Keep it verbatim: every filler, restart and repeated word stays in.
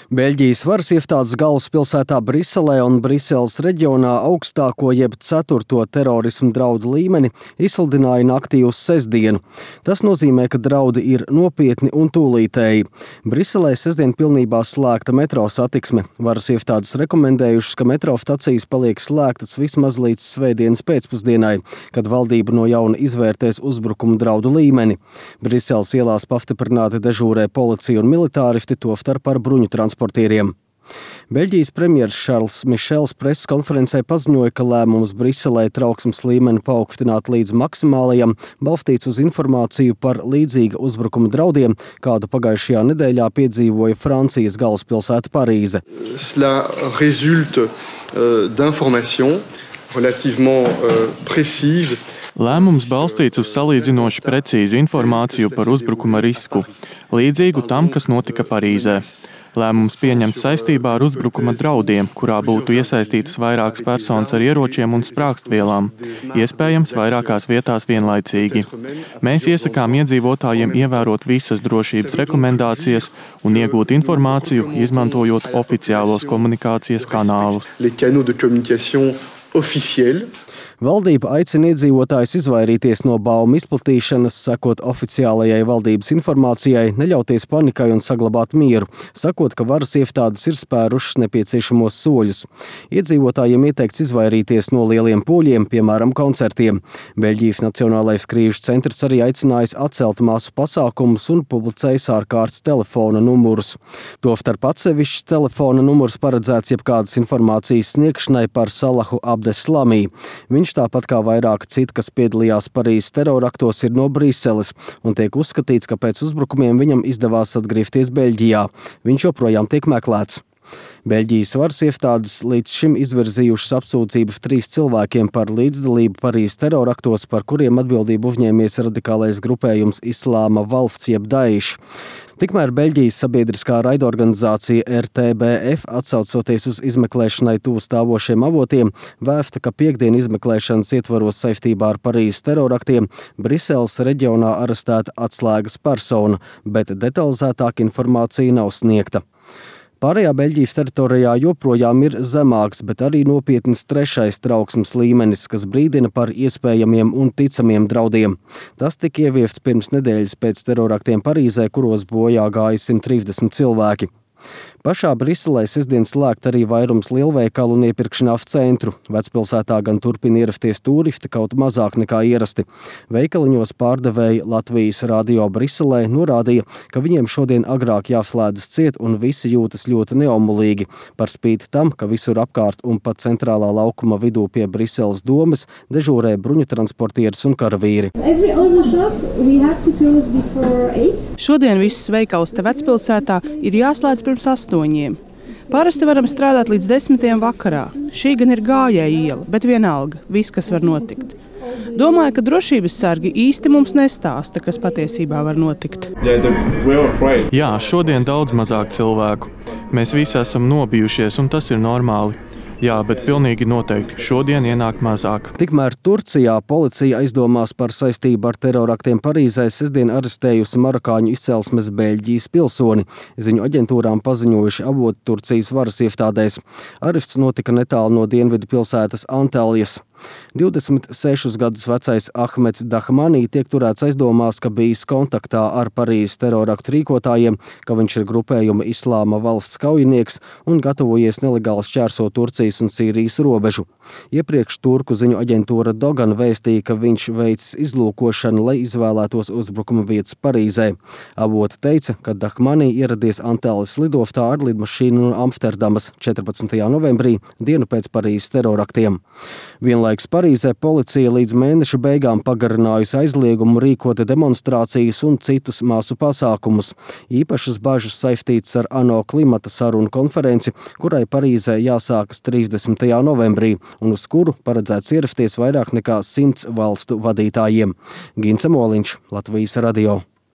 Beļģijas varas iestādes galvaspilsētā Briselē un Briseles reģionā augstāko jeb ceturto terorismu draudu līmeni izsludināja naktī uz sestdienu. Tas nozīmē, ka draudi ir nopietni un tūlītēji. Briselē sestdien pilnībā slēgta metro satiksme. Varas iestādes rekomendējušas, ka metro stacijas paliek slēgtas vismaz līdz svētdienas pēcpusdienai, kad valdība no jauna izvērtēs uzbrukumu draudu līmeni. Briseles ielās pastiprināti dežūrē policija un militāristi, tostarp ar bruņu transportieriem. Beļģijas premjers Šarls Mišels preses konferencē paziņoja, ka lēmums Briselē trauksmes līmeni paaugstināt līdz maksimālajam balstīts uz informāciju par līdzīga uzbrukuma draudiem, kādu pagājušajā nedēļā piedzīvoja Francijas galvaspilsēta Parīze. Cela résulte d'informations relativement précises. Lēmums balstīts uz salīdzinoši precīzu informāciju par uzbrukuma risku, līdzīgu tam, kas notika Parīzē. Lēmums pieņemts saistībā ar uzbrukuma draudiem, kurā būtu iesaistītas vairākas personas ar ieročiem un sprākstvielām, iespējams vairākās vietās vienlaicīgi. Mēs iesakām iedzīvotājiem ievērot visas drošības rekomendācijas un iegūt informāciju, izmantojot oficiālos komunikācijas kanālus. Valdība aicina iedzīvotājus izvairīties no baumu izplatīšanas, sekot oficiālajai valdības informācijai, neļauties panikai un saglabāt mieru, sakot, ka varas iestādes ir spērušas nepieciešamos soļus. Iedzīvotājiem ieteikts izvairīties no lieliem pūļiem, piemēram, koncertiem. Beļģijas Nacionālais krīžu centrs arī aicinājis atcelt masu pasākumus un publicējis ārkārtas telefona numurus. Tostarp atsevišķs telefona numurs paredzēts jebkādas informācijas sniegšanai par Salahu Abdeslamī. Viņš tāpat kā vairāki citi, kas piedalījās Parīzes teroraktos, ir no Briseles un tiek uzskatīts, ka pēc uzbrukumiem viņam izdevās atgriezties Beļģijā. Viņš joprojām tiek meklēts. Beļģijas varas iestādes līdz šim izvirzījušas apsūdzības trīs cilvēkiem par līdzdalību Parīzes teroraktos, par kuriem atbildību uzņēmies radikālais grupējums Islāma valsts jeb Daesh. Tikmēr Beļģijas sabiedriskā raidorganizācija R T B F, atsaucoties uz izmeklēšanai tuvu stāvošiem avotiem, vēsta, ka piekdien izmeklēšanas ietvaros saistībā ar Parīzes teroraktiem Briseles reģionā arestēta atslēgas persona, bet detalizētāka informācija nav sniegta. Pārējā Beļģijas teritorijā joprojām ir zemāks, bet arī nopietns trešais trauksmes līmenis, kas brīdina par iespējamiem un ticamiem draudiem. Tas tika ieviests pirms nedēļas pēc teroraktiem Parīzē, kuros bojā gāja simt trīsdesmit cilvēki. Pašā Briselē sestdien slēgt arī vairums lielveikalu un iepirkšanās centru. Vecpilsētā gan turpina ierasties turisti, kaut mazāk nekā ierasti. Veikaliņos pārdevēji Latvijas radio Briselē norādīja, ka viņiem šodien agrāk jāslēdzas ciet un visi jūtas ļoti neomulīgi. Par spīti tam, ka visur apkārt un pat centrālā laukuma vidū pie Briseles domes dežūrē bruņu transportieris un karavīri. Šodien visus veikals te vecpilsētā ir jāslēdz pirms astoņiem. Parasti varam strādāt līdz desmitiem vakarā. Šī gan ir gājēja iela, bet vienalga, viss, kas var notikt. Domāju, ka drošības sargi īsti mums nestāsta, kas patiesībā var notikt. Jā, šodien daudz mazāk cilvēku. Mēs visi esam nobijušies, un tas ir normāli. Jā, bet pilnīgi noteikti šodien ienāk mazāk. Tikmēr Turcijā policija aizdomās par saistību ar teroraktiem Parīzē sestdien arestējusi marokāņu izcelsmes Beļģijas pilsoni. Ziņu aģentūrām paziņojuši avoti Turcijas varas iestādēs. Arests notika netālu no dienvidu pilsētas Antalijas. divdesmit sešus gadus vecais Ahmeds Dahmanī tiek turēts aizdomās, ka bijis kontaktā ar Parīzes teroraktu rīkotājiem, ka viņš ir grupējuma Islāma valsts kaujinieks un gatavojies nelegāli šķērsot Turcijas un Sīrijas robežu. Iepriekš turku ziņu aģentūra Dogan vēstīja, ka viņš veicis izlūkošanu, lai izvēlētos uzbrukuma vietas Parīzē. Avoti teica, ka Dahmanī ieradies Antalijas lidostā ar lidmašīnu no Amsterdamas četrpadsmitajā novembrī, dienu pēc Parīzes teroraktiem. Vienlaikus Parīzē policija līdz mēneša beigām pagarinājusi aizliegumu rīkot demonstrācijas un citus masu pasākumus. Īpašas bažas saistītas ar ANO klimata sarunu konferenci, kurai Parīzē jāsākas trīsdesmitajā novembrī, un uz kuru paredzēts ierasties vairāk nekā simts valstu vadītājiem. Gince Moliņš, Latvijas radio.